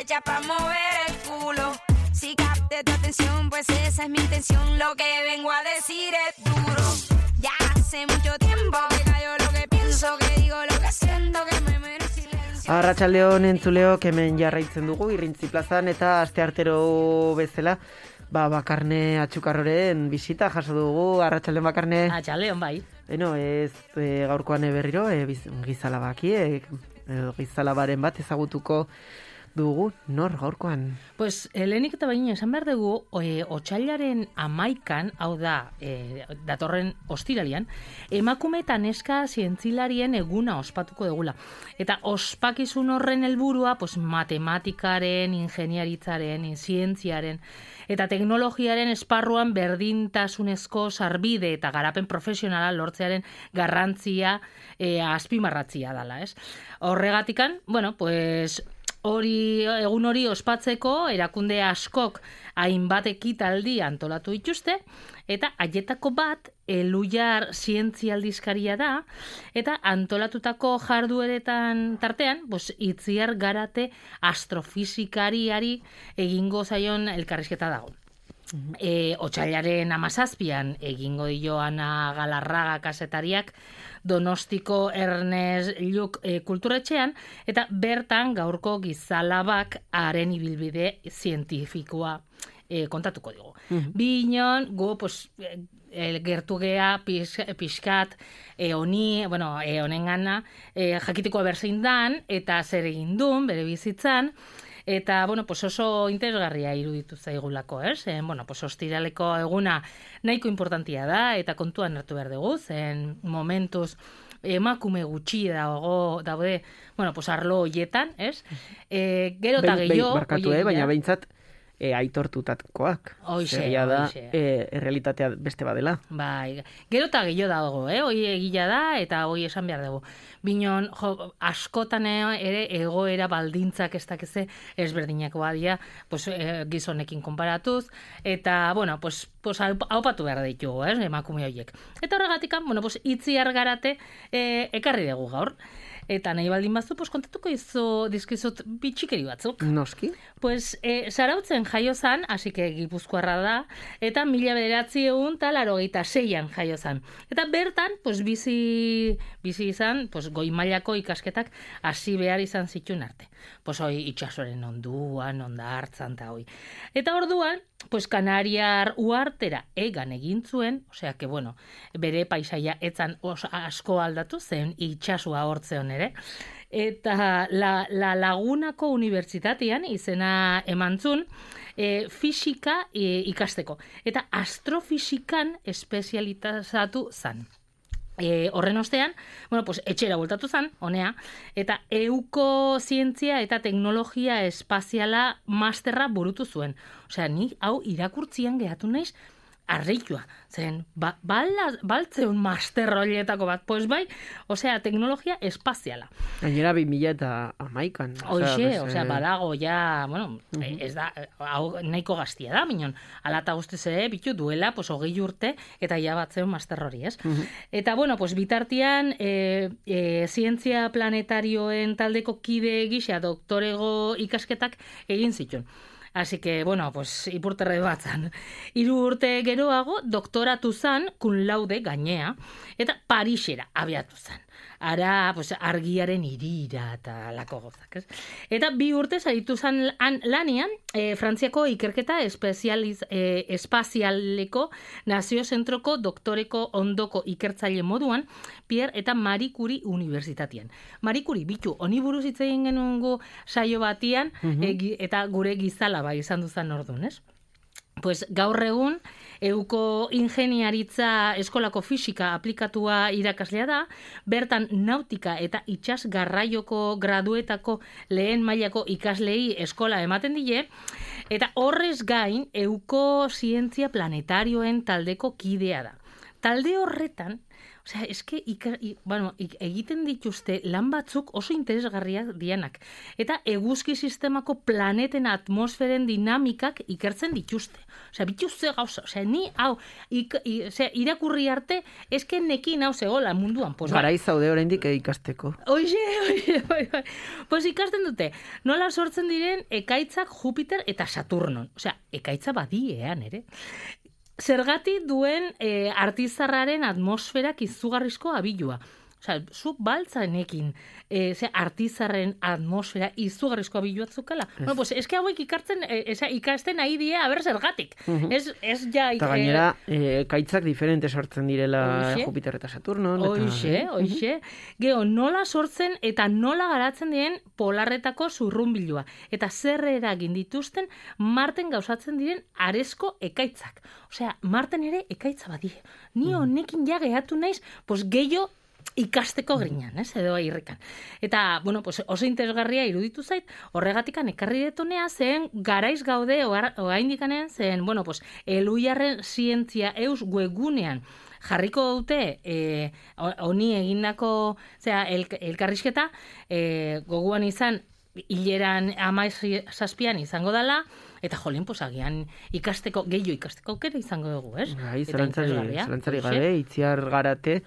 hecha para mover el culo. Si capté tu atención, pues esa es mi intención. Lo que vengo a decir es duro. Ya hace mucho tiempo que callo lo que pienso, que digo lo que siento, que me mero silencio. Arratsaldeon entzuleok hemen jarraitzen dugu Irrintzi plazan eta asteartero bezala Bakarne Atxukarroren bisita jaso dugu. Arratsaldeon Bakarne. Arratsaldeon bai. Beno, ez gaurkoan berriro gizalabaki gizalabaren bat ezagutuko dugu. Nor gaurkoan? Pues lehenik eta baina esan behar dugu otsailaren 11an, hau da datorren ostiralian, emakume eta neska zientzilarien eguna ospatuko dugula. Eta ospakizun horren helburua pues matematikaren, ingeniaritzaren, zientziaren eta teknologiaren esparruan berdintasunezko sarbide eta garapen profesionala lortzearen garrantzia azpimarratzia dela, ez? Horregatikan, bueno, pues egun hori ospatzeko erakunde askok hainbat ekitaldi antolatu dituzte, eta haietako bat Elujar zientzialdizkaria da, eta antolatutako jardueretan tartean, Itziar Garate astrofizikariari egingo zaion elkarrizketa dago. Otsailaren 17an egingo dio Ana Galarraga kazetariak Donostiko Ernest Lluch kulturetxean, eta bertan gaurko gizalabak haren ibilbide zientifikoa kontatuko digu. Binon, gu, gertu gea pixkat honengana jakiteko berzein dan, eta zer egin duen, bere bizitzan, eta, oso interesgarria iruditu zaigulako, ez? Ostiraleko eguna nahiko importantia da, eta kontuan hartu behar dugu, zen momentuz emakume gutxi daude, arlo hoietan, ez? Gero eta gehiago... Barkatu, baina behintzat aitortutakoak. Zeria da, errealitatea beste badela. Bai, gero eta gehiago dago, hoi egila da, eta hoi esan behar dugu. Binon, askotan ere egoera baldintzak ez dakize ezberdinak badia, gizonekin konparatuz, eta, haupatu behar ditugu, emakume horiek. Eta horregatikan, Itziar Garate ekarri dugu gaur. Eta nahi baldin bazu, kontatuko dizkizut bitxikeri batzuk. Noski. Zarautzen jaio zan, hasi que Gipuzkoarra da, eta 1986an jaio zan. Eta bertan, bizi izan, goi mailako ikasketak hasi behar izan zituen arte. Hoi itxasoren onduan, onda hartzan eta hoi. Eta orduan, Kanariar uartera egan egin zuen, osea que, bere paisaia etzan asko aldatu zen itxasua hortzeon ere, eta la Lagunako unibertsitatean izena emantzun fisika ikasteko, eta astrofisikan espezializatu zan. Horren ostean, etxera bueltatu zan, honea, eta euko zientzia eta teknologia espaziala masterra burutu zuen. Osea, ni hau irakurtzian gehatu naiz, arreitua, zen, baltzeun master horietako bat, bai, osea, teknologia espaziala. Gainera 2011an. Osea, badago, ja, ez da, nahiko gaztia da, minon, alata guztiz ere, bitu duela, 20 urte, eta ja batzeun master hori, ez? Eta, bitartian, zientzia planetarioen taldeko kide gisa doktorego ikasketak egin zituen. Así que, ipurterre batzan. 3 urte geroago, doktoratu zan, cum laude gainea, eta Parisera abiatu zan. Ara, argiaren irira eta lako gozak, ez? Eta 2 urte zaritu zan lanian, Frantziako ikerketa espazialeko naziozentroko doktoreko ondoko ikertzaile moduan, Pierre eta Marie Curie unibertsitatean. Marie Curie, bitu, honi buruz hitz egin genuen saio batian, eta gure gizalaba izan duzan orduan, ez? Gaur egun, euko ingeniaritza eskolako fisika aplikatua irakaslea da, bertan nautika eta itsas garraioko graduetako lehen mailako ikaslei eskola ematen die, eta horrez gain, euko zientzia planetarioen taldeko kidea da. Talde horretan, Osea, eske egiten dituzte lan batzuk oso interesgarriak dianak. Eta eguzki sistemako planeten atmosferen dinamikak ikertzen dituzte. Osea, bituzte gauza. Osea, ni hau irakurri arte eske nekin hau zegoela munduan. Garai zaude oraindik ikasteko. Oixe, bai. Pues ikasten dute, nola sortzen diren ekaitzak Jupiter eta Saturnon. Osea, ekaitza badiean, ere. Zergatik duen artizarraren atmosferak izugarrizko abilua. Osea, zuk baltzanekin artizarren atmosfera izugarrizko abilua zukala. Bueno, pues eske hauek ikasten nahi die, aber zergatik. Ez ja... Eta gainera, ekaitzak diferente sortzen direla Jupiter eta Saturnon. Hoxe. Gero, nola sortzen eta nola garatzen diren polarretako zurrunbilua. Eta zer eragin dituzten Marten gauzatzen diren arezko ekaitzak. Osea, Marten ere ekaitza badie. Ni honekin ja gehatu naiz, pues gehiago ikasteko grinan, edo irrikan. Eta, bueno, pues oso interesgarria iruditu zait, horregatikan ekarri detonea zen garaiz gaude oraindikanen zen, bueno, pues Eluiarren zientzia eus webgunean jarriko dute honi egindako, elkarrizketa, goguan izan hileran 17an izango dela, eta jolin, pues agian gehiago ikasteko aukera izango dugu, ez? Bai, zelantzari gabe, Itziar Garate,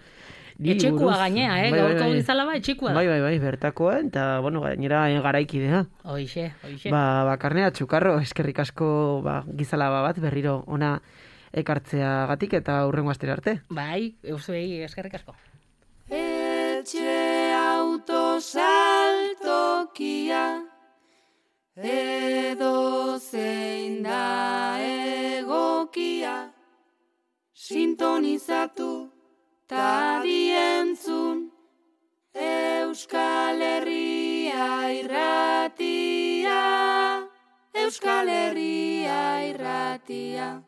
etxekua gainea, gaurko gizala etxekua da. Bai, bertakoa, eta, bueno, gainera garaikidea. Hoixe. Bakarne Atxukarro, eskerrik asko gizala bat berriro ona ekartzeagatik eta hurrengo astera arte. Bai, euzuei eskerrik asko. Etxe autosaltokia edo zein da egokia sintonizatu ta dientzun Euskal Herria irratia, Euskal Herria irratia.